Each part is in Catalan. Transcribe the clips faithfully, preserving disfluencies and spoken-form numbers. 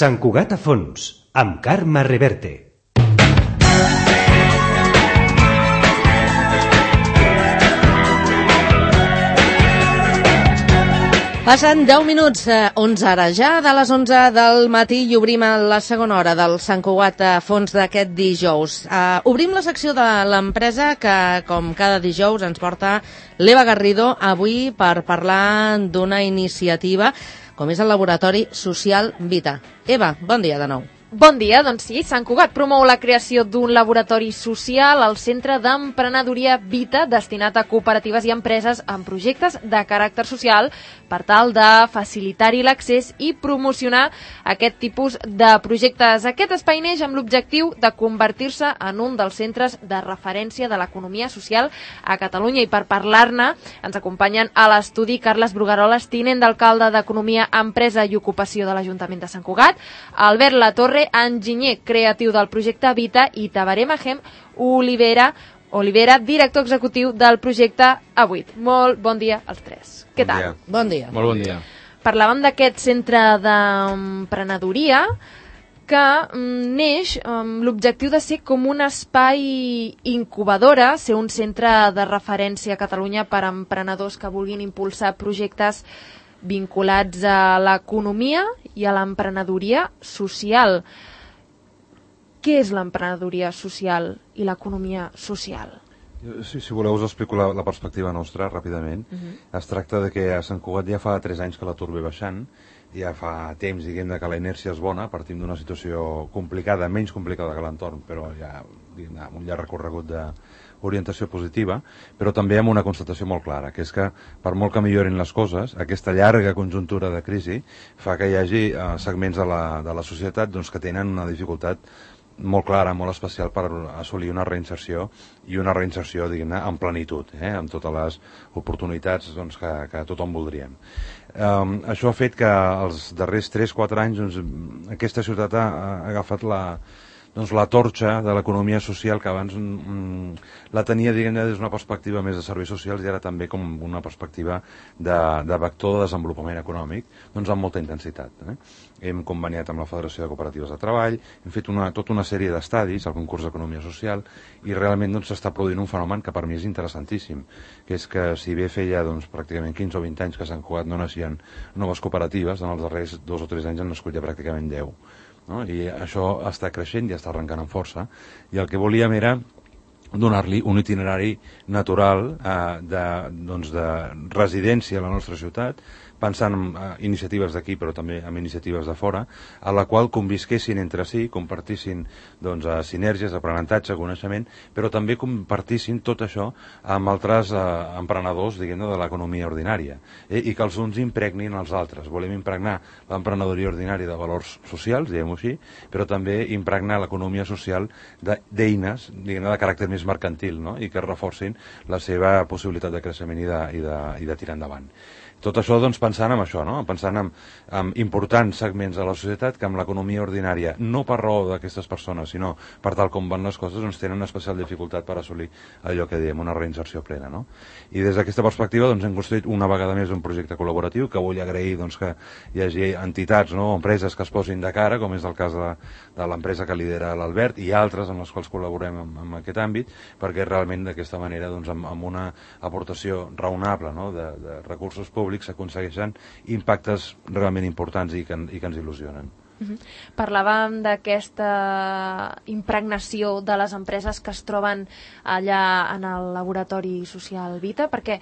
Sant Cugat a fons, amb Carme Reverte. Passen deu minuts, eh, onze ara ja, de les onze del matí, i obrim la segona hora del Sant Cugat a fons d'aquest dijous. Uh, obrim la secció de l'empresa que, com cada dijous, ens porta l'Eva Garrido avui per parlar d'una iniciativa com és el Laboratori Social Vita. Eva, bon dia de nou. Bon dia, doncs sí, Sant Cugat promou la creació d'un laboratori social al Centre d'Emprenedoria Vita destinat a cooperatives i empreses amb projectes de caràcter social per tal de facilitar-hi l'accés i promocionar aquest tipus de projectes. Aquest espai neix amb l'objectiu de convertir-se en un dels centres de referència de l'economia social a Catalunya, i per parlar-ne ens acompanyen a l'estudi Carles Brugaroles, tinent d'alcalde d'Economia, Empresa i Ocupació de l'Ajuntament de Sant Cugat, Albert Latorre, enginyer creatiu del projecte Vita, i Tabaré Mahem Olivera, Olivera, director executiu del projecte A vuit. Molt bon dia als tres. Què tal? Dia. Bon dia. Molt bon dia. Parlàvem d'aquest centre d'emprenedoria que neix amb l'objectiu de ser com un espai incubadora, ser un centre de referència a Catalunya per a emprenedors que vulguin impulsar projectes vinculats a l'economia i a l'emprenedoria social. Què és l'emprenedoria social i l'economia social? Sí, si voleu us explico la, la perspectiva nostra ràpidament. Uh-huh. Es tracta de que a Sant Cugat ja fa tres anys que l'atur ve baixant, ja fa temps, diguem, que la inèrcia és bona, partim d'una situació complicada, menys complicada que l'entorn, però ja, diguem, amb un llarg recorregut de orientació positiva, però també amb una constatació molt clara, que és que per molt que millorin les coses, aquesta llarga conjuntura de crisi fa que hi hagi eh, segments de la, de la societat doncs, que tenen una dificultat molt clara, molt especial per assolir una reinserció, i una reinserció, diguem-ne, en plenitud, eh, amb totes les oportunitats doncs, que, que tothom voldríem. Um, això ha fet que els darrers tres quatre anys doncs, aquesta ciutat ha, ha agafat la, doncs, la torxa de l'economia social, que abans mm, la tenia, diguem-ne, des d'una perspectiva més de serveis socials, i ara també com una perspectiva de, de vector de desenvolupament econòmic, doncs amb molta intensitat. Eh? Hem conveniat amb la Federació de Cooperatives de Treball, hem fet una, tota una sèrie d'estadis al concurs d'Economia Social, i realment doncs, s'està produint un fenomen que per mi és interessantíssim, que és que si bé feia doncs, pràcticament quinze o vint anys que a Sant Cugat no naixien noves cooperatives, en els darrers dos o tres anys han nascut ja pràcticament deu. No? I això està creixent i està arrencant amb força, i el que volíem era donar-li un itinerari natural eh, de, doncs de residència a la nostra ciutat, pensant en uh, iniciatives d'aquí però també en iniciatives de fora, a la qual convisquessin entre si, compartissin doncs, uh, sinergies, aprenentatge, coneixement, però també compartissin tot això amb altres uh, emprenedors, diguem-ne, de l'economia ordinària, eh? I que els uns impregnin els altres. Volem impregnar l'emprenedoria ordinària de valors socials, diguem-ho així, però també impregnar l'economia social d'eines, diguem-ne, de caràcter més mercantil, no? I que reforcin la seva possibilitat de creixement i de, i de, i de tirar endavant. Tot això doncs, pensant en això, no? Pensant en, en importants segments de la societat que amb l'economia ordinària, no per raó d'aquestes persones, sinó per tal com van les coses, doncs, tenen una especial dificultat per assolir allò que diem, una reinserció plena. No? I des d'aquesta perspectiva doncs, hem construït una vegada més un projecte col·laboratiu que vull agrair doncs, que hi hagi entitats, no? Empreses que es posin de cara, com és el cas de, de l'empresa que lidera l'Albert, i altres amb les quals col·laborem en, en aquest àmbit, perquè realment d'aquesta manera, doncs, amb, amb una aportació raonable, no? de, de recursos públics, s'aconsegueixen impactes realment importants i que, i que ens il·lusionen. Uh-huh. Parlàvem d'aquesta impregnació de les empreses que es troben allà en el Laboratori Social Vita, perquè,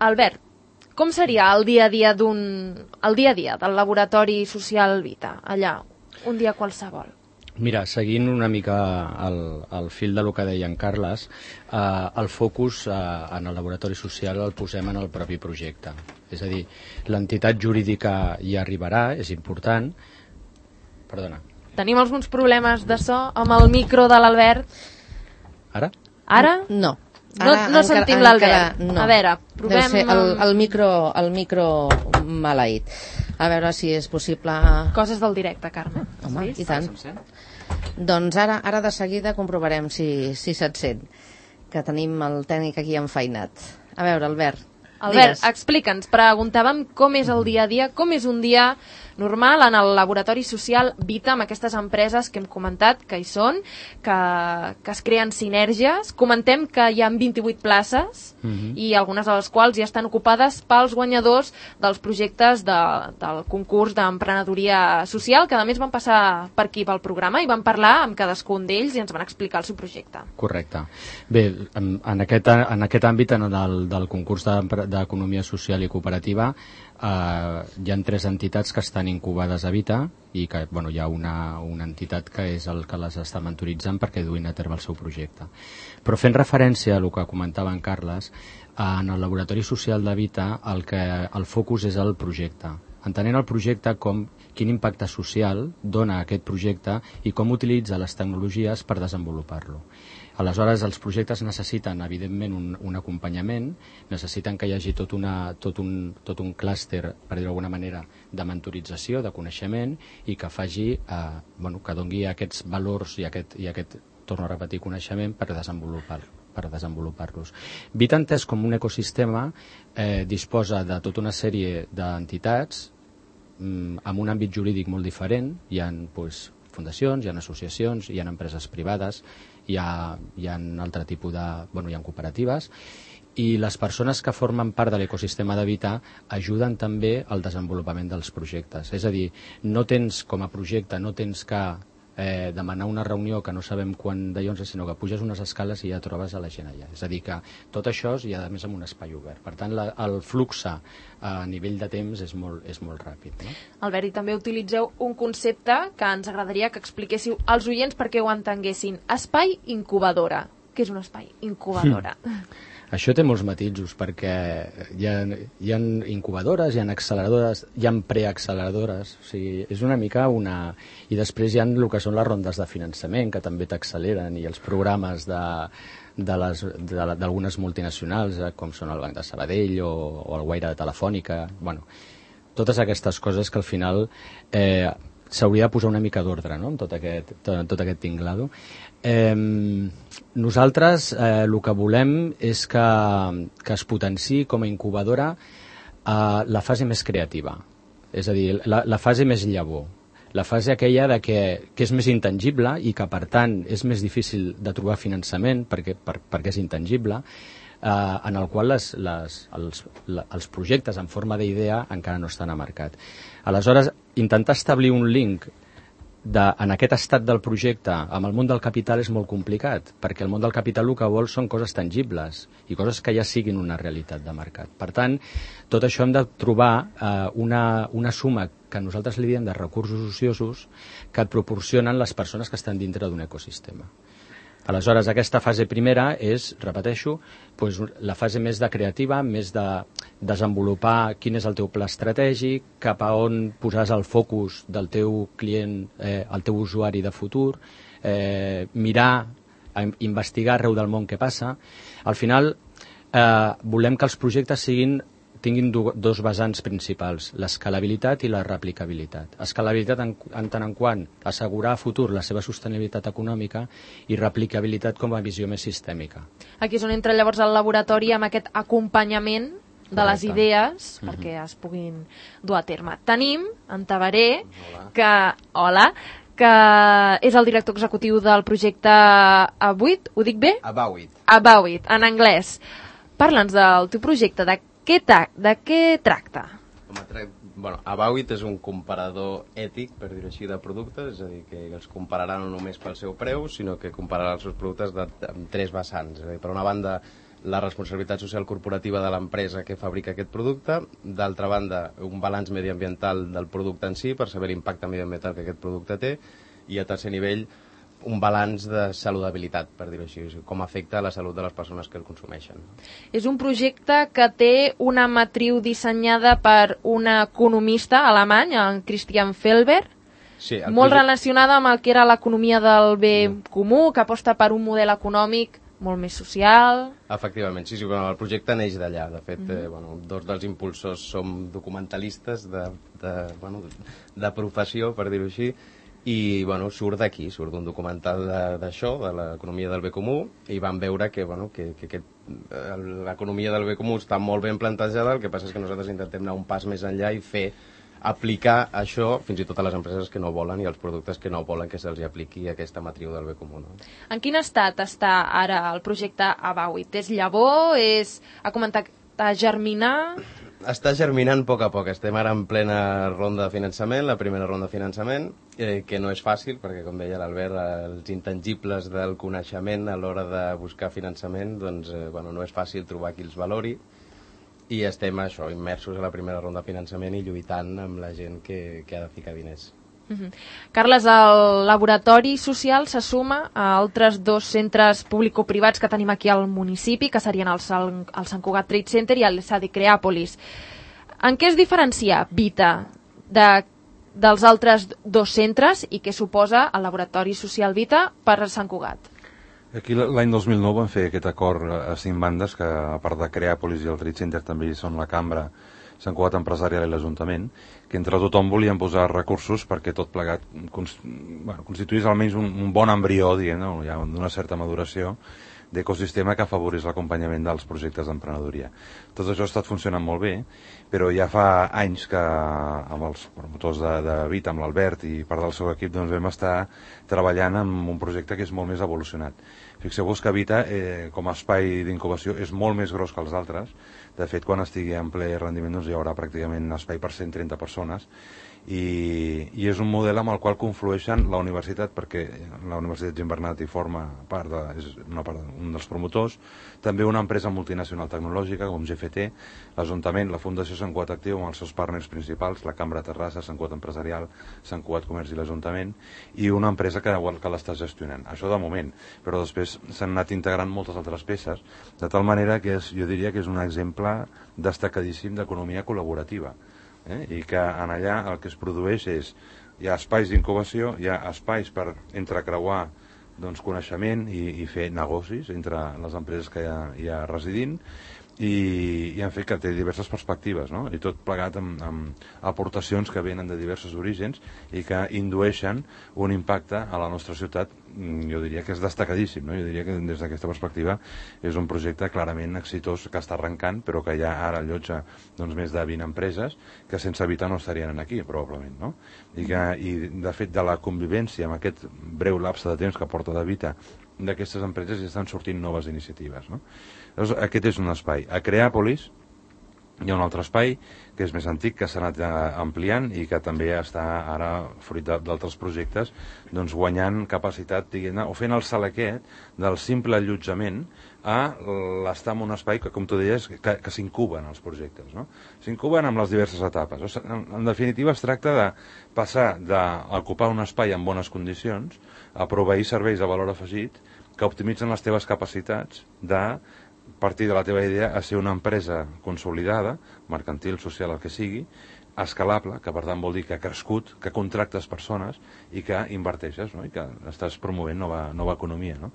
Albert, com seria el dia a dia d'un el dia a dia del Laboratori Social Vita, allà, un dia qualsevol? Mira, seguint una mica el, el fil de lo que deia en Carles, eh, el focus eh, en el laboratori social el posem en el propi projecte. És a dir, l'entitat jurídica hi arribarà, és important. Perdona. Tenim alguns problemes de so amb el micro de l'Albert. Ara? Ara? No. No, Ara, no encara, sentim l'Albert. No. A veure, provem... Deu ser el, el micro, el micro maleït. A veure si és possible... Coses del directe, Carme. Home, sí? I tant. Doncs ara, ara de seguida comprovarem si, si se't sent, que tenim el tècnic aquí enfeinat. A veure, Albert, Albert, digues. explica'ns, preguntàvem com és el dia a dia, com és un dia normal en el laboratori social Vita, amb aquestes empreses que hem comentat que hi són, que, que es creen sinergies. Comentem que hi ha vint-i-vuit places uh-huh. i algunes de les quals ja estan ocupades pels guanyadors dels projectes de, del concurs d'emprenedoria social, que a més van passar per aquí pel programa i van parlar amb cadascun d'ells i ens van explicar el seu projecte. Correcte. Bé, en, en, aquest, en aquest àmbit, en el del concurs d'economia social i cooperativa, eh, hi ha tres entitats que estan incubades a Vita i que bueno, hi ha una, una entitat que és el que les està mentoritzant perquè duin a terme el seu projecte. Però fent referència a el que comentava en Carles, en el laboratori social de Vita el, que, el focus és el projecte. Entenent el projecte com quin impacte social dona aquest projecte i com utilitza les tecnologies per desenvolupar-lo. Aleshores, els projectes necessiten, evidentment, un, un acompanyament, necessiten que hi hagi tot, una, tot un, tot un clúster, per dir-ho d'alguna manera, de mentorització, de coneixement, i que faci, eh, bueno, que doni aquests valors i aquest, i aquest, torno a repetir, coneixement per desenvolupar-lo. per desenvolupar-los. Vita, entès com un ecosistema, eh, disposa de tota una sèrie d'entitats mm, amb un àmbit jurídic molt diferent. Hi ha pues, fundacions, hi ha associacions, hi ha empreses privades, hi ha, hi ha altre tipus de... Bueno, hi ha cooperatives, i les persones que formen part de l'ecosistema de Vita ajuden també al desenvolupament dels projectes. És a dir, no tens com a projecte, no tens que eh, demanar una reunió que no sabem quan d'allò, sinó que puges unes escales i ja trobes a la gent allà. És a dir, que tot això és, i a més amb un espai obert. Per tant, la, el flux a nivell de temps és molt, és molt ràpid. No? Albert, i també utilitzeu un concepte que ens agradaria que expliquéssiu als oients perquè ho entenguessin. Espai incubadora. Què és un espai incubadora? Mm. Això té molts matisos, perquè hi ha, hi ha incubadores, hi ha acceleradores, hi ha preacceleradores, o sigui, és una mica una... I després hi ha el que són les rondes de finançament, que també t'acceleren, i els programes de d'algunes multinacionals, eh, com són el Banc de Sabadell o, o el Guaire de Telefònica, bueno, totes aquestes coses que al final eh, s'hauria de posar una mica d'ordre, no?, en tot aquest, tot, tot aquest tinglado. Eh, nosaltres eh, el que volem és que, que es potenciï com a incubadora eh, la fase més creativa, és a dir, la, la fase més llavor, la fase aquella de que, que és més intangible i que per tant és més difícil de trobar finançament perquè, per, perquè és intangible, eh, en el qual les, les, els, la, els projectes en forma d'idea encara no estan a mercat. Aleshores, intentar establir un link de, en aquest estat del projecte amb el món del capital és molt complicat, perquè el món del capital el que vol són coses tangibles i coses que ja siguin una realitat de mercat. Per tant, tot això hem de trobar eh, una, una suma que nosaltres li diem de recursos ociosos que et proporcionen les persones que estan dintre d'un ecosistema. Aleshores, aquesta fase primera és, repeteixo, doncs, la fase més de creativa, més de desenvolupar quin és el teu pla estratègic, cap a on posaràs el focus del teu client, eh, el teu usuari de futur, eh, mirar, investigar arreu del món què passa. Al final, eh, volem que els projectes siguin tinguin do, dos vessants principals, l'escalabilitat i la replicabilitat. Escalabilitat en, en tant en quant assegurar a futur la seva sostenibilitat econòmica i replicabilitat com a visió més sistèmica. Aquí és on entra llavors el laboratori amb aquest acompanyament de Correcte. Les idees uh-huh. perquè es puguin dur a terme. Tenim en Tabaré, hola. que hola, que és el director executiu del projecte Abawit, ho dic bé? Abawit. Abawit, en anglès. Parla'ns del teu projecte, de Què ta- de què tracta? Bueno, Abawit és un comparador ètic, per dir-ho així, de productes, és a dir, que els compararà no només pel seu preu, sinó que compararà els seus productes de, amb tres vessants. És a dir, per una banda, la responsabilitat social corporativa de l'empresa que fabrica aquest producte, d'altra banda, un balanç mediambiental del producte en si, per saber l'impacte mediambiental que aquest producte té, i a tercer nivell, un balanç de saludabilitat, per dir-ho així, com afecta la salut de les persones que el consumeixen. És un projecte que té una matriu dissenyada per un economista alemany, en Christian Felber, sí, molt projecte... relacionada amb el que era l'economia del bé mm. comú, que aposta per un model econòmic molt més social... Efectivament, sí, sí, bueno, el projecte neix d'allà. De fet, Mm-hmm. eh, bueno, dos dels impulsors som documentalistes de, de, bueno, de professió, per dir-ho així, i bueno, surt d'aquí, surt d'un documental d'això, de, de l'economia del bé comú, i vam veure que, bueno, que, que aquest, l'economia del bé comú està molt ben plantejada, el que passa és que nosaltres intentem anar un pas més enllà i fer aplicar això fins i tot a les empreses que no volen i als productes que no volen que se'ls apliqui aquesta matriu del bé comú. No? En quin estat està ara el projecte Abauit? És llavor? És... Ha comentat a germinar? Està germinant a poc a poc. Estem ara en plena ronda de finançament, la primera ronda de finançament, eh, que no és fàcil, perquè, com deia l'Albert, els intangibles del coneixement a l'hora de buscar finançament, doncs, eh, bueno, no és fàcil trobar qui els valori, i estem això, immersos a la primera ronda de finançament i lluitant amb la gent que, que ha de ficar diners. Uh-huh. Carles, el laboratori social se suma a altres dos centres público-privats que tenim aquí al municipi, que serien el, San, el Sant Cugat Trade Center i el S A D I Creàpolis. En què es diferencia Vita de, dels altres dos centres i què suposa el laboratori social Vita per Sant Cugat? Aquí l'any dos mil nou vam fer aquest acord a cinc bandes, que a part de Creàpolis i el Trade Center també són la Cambra, Sant Cugat Empresarial i l'Ajuntament, que entre tothom volien posar recursos perquè tot plegat cons, bueno, constituís almenys un, un bon embrió, diguem, no? Ja d'una certa maduració d'ecosistema que afavorís l'acompanyament dels projectes d'emprenedoria. Tot això ha estat funcionant molt bé, però ja fa anys que amb els promotors de, de Vita, amb l'Albert i part del seu equip, doncs vam estar treballant en un projecte que és molt més evolucionat. Fixeu-vos que Vita, eh, com a espai d'incubació, és molt més gros que els altres. De fet, quan estigui en ple rendiment, doncs hi haurà pràcticament espai per cent trenta persones, i, i és un model amb el qual conflueixen la universitat, perquè la Universitat Gimbernat hi forma part de, és una part, un dels promotors, també una empresa multinacional tecnològica com G F T, l'Ajuntament, la Fundació Sant Cugat Actiu amb els seus partners principals, la Cambra Terrassa, Sant Cugat Empresarial, Sant Cugat Comerç i l'Ajuntament, i una empresa que, que l'està gestionant. Això de moment, però després s'han anat integrant moltes altres peces, de tal manera que és, jo diria que és un exemple destacadíssim d'economia col·laborativa. Eh? I que en allà el que es produeix és, hi ha espais d'incubació, hi ha espais per entrecreuar doncs, coneixement i, i fer negocis entre les empreses que hi ha, hi ha residint, i, i en fet que té diverses perspectives, no? I tot plegat amb, amb aportacions que venen de diversos orígens i que indueixen un impacte a la nostra ciutat, jo diria que és destacadíssim, no? Jo diria que des d'aquesta perspectiva és un projecte clarament exitós que està arrencant, però que ja ara allotja doncs, més de vint empreses que sense Vita no estarien aquí, probablement, no? I, que, i de fet de la convivència amb aquest breu lapse de temps que porta de Vita d'aquestes empreses ja estan sortint noves iniciatives, no? Llavors, aquest és un espai. A Creàpolis hi ha un altre espai que és més antic, que s'ha anat ampliant i que també està ara, fruit d'altres projectes, doncs guanyant capacitat, diguem-ne, o fent el salt aquest del simple allotjament a l'estar en un espai que, com tu deies, que, que s'incuben els projectes, no? S'incuben amb les diverses etapes. O sigui, en, en definitiva, es tracta de passar d'ocupar un espai en bones condicions a proveir serveis de valor afegit que optimitzen les teves capacitats de partir de la teva idea a ser una empresa consolidada, mercantil, social, el que sigui, escalable, que per tant vol dir que ha crescut, que contractes persones i que inverteixes, no? I que estàs promovent nova, nova economia, no?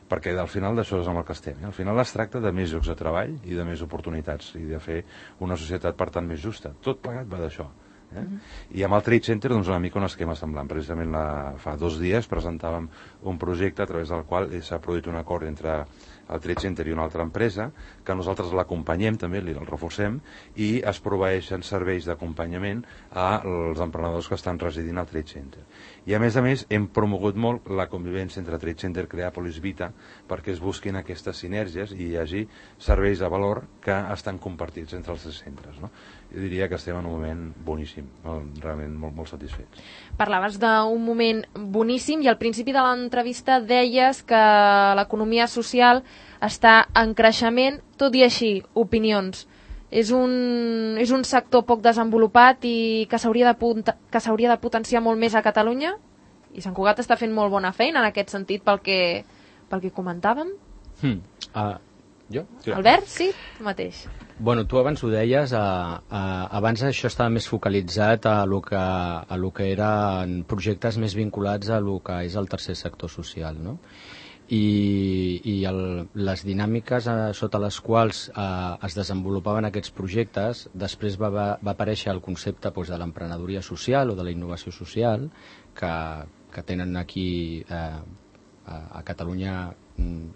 Perquè al final d'això és amb el que estem. Eh? Al final es tracta de més llocs de treball i de més oportunitats i de fer una societat, per tant, més justa. Tot plegat va d'això. Eh? Uh-huh. I amb el Trade Center doncs, una mica un esquema semblant. Precisament la, fa dos dies presentàvem un projecte a través del qual s'ha produït un acord entre el Trade Center i una altra empresa, que nosaltres l'acompanyem també, el reforcem, i es proveeixen serveis d'acompanyament als emprenedors que estan residint al Trade Center. I a més a més hem promogut molt la convivència entre Trade Center, Creàpolis, Vita, perquè es busquin aquestes sinergies i hi hagi serveis de valor que estan compartits entre els tres centres, no? Jo diria que estem en un moment boníssim, realment molt, molt satisfets. Parlaves d'un moment boníssim i al principi de l'entrevista deies que l'economia social està en creixement, tot i així, opinions. És un, és un sector poc desenvolupat i que s'hauria de, que s'hauria de potenciar molt més a Catalunya? I Sant Cugat està fent molt bona feina en aquest sentit pel que, pel que comentàvem? Hmm. Uh, jo? Sí. Albert, sí, tu mateix. Bueno, tu abans ho deies, a, a, abans això estava més focalitzat a lo que, a lo que eren projectes més vinculats a lo que és el tercer sector social, no? I, i el, les dinàmiques eh, sota les quals eh, es desenvolupaven aquests projectes, després va, va, va aparèixer el concepte doncs, de l'emprenedoria social o de la innovació social, que, que tenen aquí eh, a, a Catalunya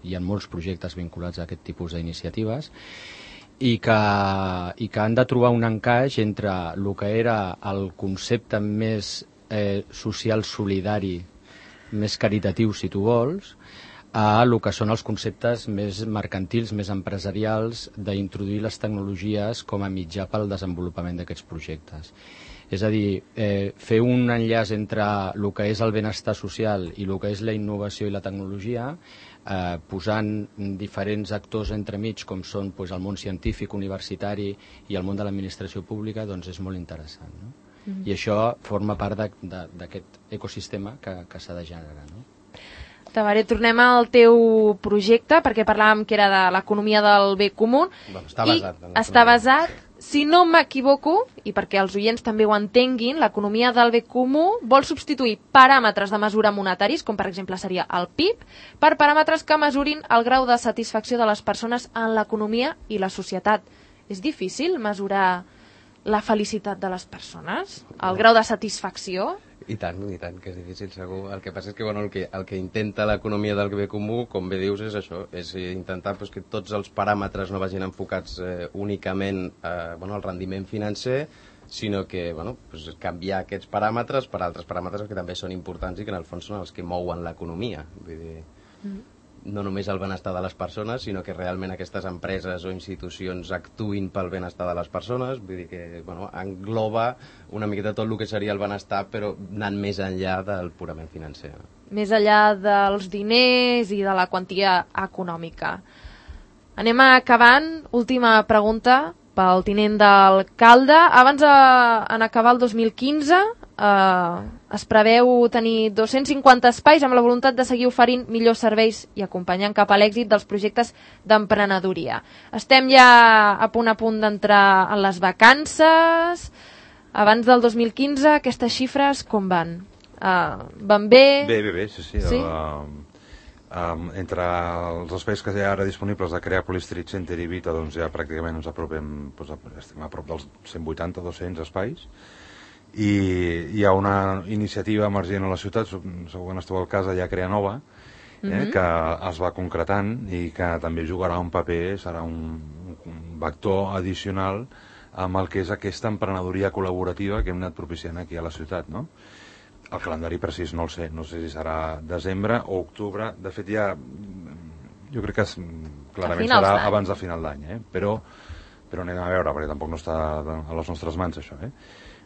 hi ha molts projectes vinculats a aquest tipus d'iniciatives, i que, i que han de trobar un encaix entre el que era el concepte més eh, social solidari, més caritatiu, si tu vols, a el que són els conceptes més mercantils, més empresarials, d'introduir les tecnologies com a mitjà pel desenvolupament d'aquests projectes. És a dir, eh, fer un enllaç entre el que és el benestar social i el que és la innovació i la tecnologia, eh, posant diferents actors entremig, com són pues, el món científic, universitari i el món de l'administració pública, doncs és molt interessant. No? Mm-hmm. I això forma part d'aquest ecosistema que, que s'ha de generar. No? Tabaré, tornem al teu projecte, perquè parlàvem que era de l'economia del bé comú. Bueno, està basat. I està basat, si no m'equivoco, i perquè els oients també ho entenguin, l'economia del bé comú vol substituir paràmetres de mesura monetaris, com per exemple seria el P I B, per paràmetres que mesurin el grau de satisfacció de les persones en l'economia i la societat. És difícil mesurar la felicitat de les persones? El grau de satisfacció? I tant, i tant, que és difícil segur. El que passa és que, bueno, el que, el que intenta l'economia del bé comú, com bé dius, és això, és intentar pues, que tots els paràmetres no vagin enfocats eh, únicament eh, bueno, al rendiment financer, sinó que bueno, pues, canviar aquests paràmetres per altres paràmetres que també són importants i que en el fons són els que mouen l'economia. Vull dir, mm. no només el benestar de les persones, sinó que realment aquestes empreses o institucions actuïn pel benestar de les persones, vull dir que bueno, engloba una miqueta tot el que seria el benestar, però anant més enllà del purament financer. Més enllà dels diners i de la quantia econòmica. Anem acabant. Última pregunta pel tinent d'alcalde. Abans en acabar el dos mil quinze eh, es preveu tenir dos-cents cinquanta espais amb la voluntat de seguir oferint millors serveis i acompanyant cap a l'èxit dels projectes d'emprenedoria. Estem ja a punt a punt d'entrar en les vacances. Abans del dos mil quinze, aquestes xifres com van? Uh, van bé? Bé, bé, bé, sí, sí. sí? Uh, um, entre els espais que hi ha ara disponibles de Creàpolis Street Center i Vita, doncs ja pràcticament ens apropem, doncs, estem a prop dels cent vuitanta a dos-cents espais. I hi ha una iniciativa emergent a la ciutat, segur que n'esteu al cas, allà a Creanova, eh, mm-hmm. que es va concretant i que també jugarà un paper, serà un, un vector addicional amb el que és aquesta emprenedoria col·laborativa que hem anat propiciant aquí a la ciutat, no? El calendari precís no el sé, no sé si serà desembre o octubre, de fet ja jo crec que clarament serà abans de final d'any, eh? però, però anem a veure, perquè tampoc no està a les nostres mans això, eh?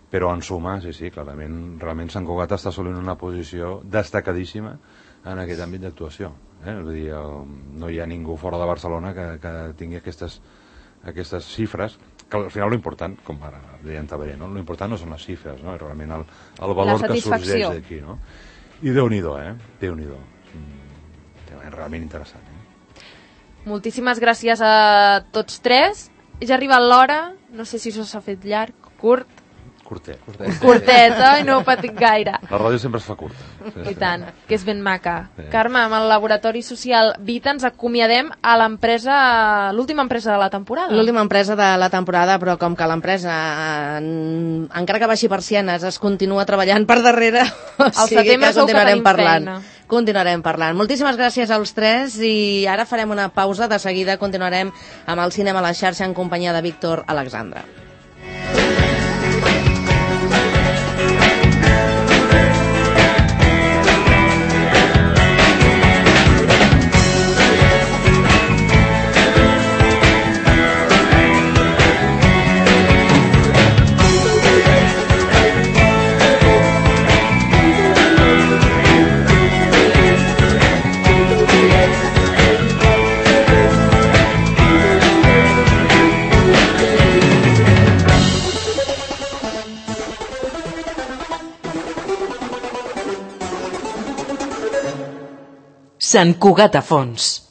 Però en suma, sí, sí, clarament, realment Sant Cugat està assolint una posició destacadíssima en aquest àmbit d'actuació. Eh? Vull dir, no hi ha ningú fora de Barcelona que, que tingui aquestes, aquestes xifres, que al final l'important, com ara deia en Tabaré, no? L'important no són les xifres, no? És realment el, el valor que sorgeix d'aquí, no? I Déu-n'hi-do, eh? Déu-n'hi-do. És realment interessant, eh? Moltíssimes gràcies a tots tres. Ja ha arribat l'hora, no sé si això s'ha fet llarg, curt. Curtet. Curtet, oi? No ho patic gaire. La ràdio sempre es fa curta. Sí, I tant, que és ben maca. Sí. Carme, amb el Laboratori Social Vita ens acomiadem a l'empresa, l'última empresa de la temporada. L'última empresa de la temporada, però com que l'empresa, en, encara que baixi persianes, es continua treballant per darrere, o sigui que continuarem parlant. Feina. Continuarem parlant. Moltíssimes gràcies als tres i ara farem una pausa. De seguida continuarem amb el cinema a la xarxa en companyia de Víctor Alexandre. Sant Cugat a fons.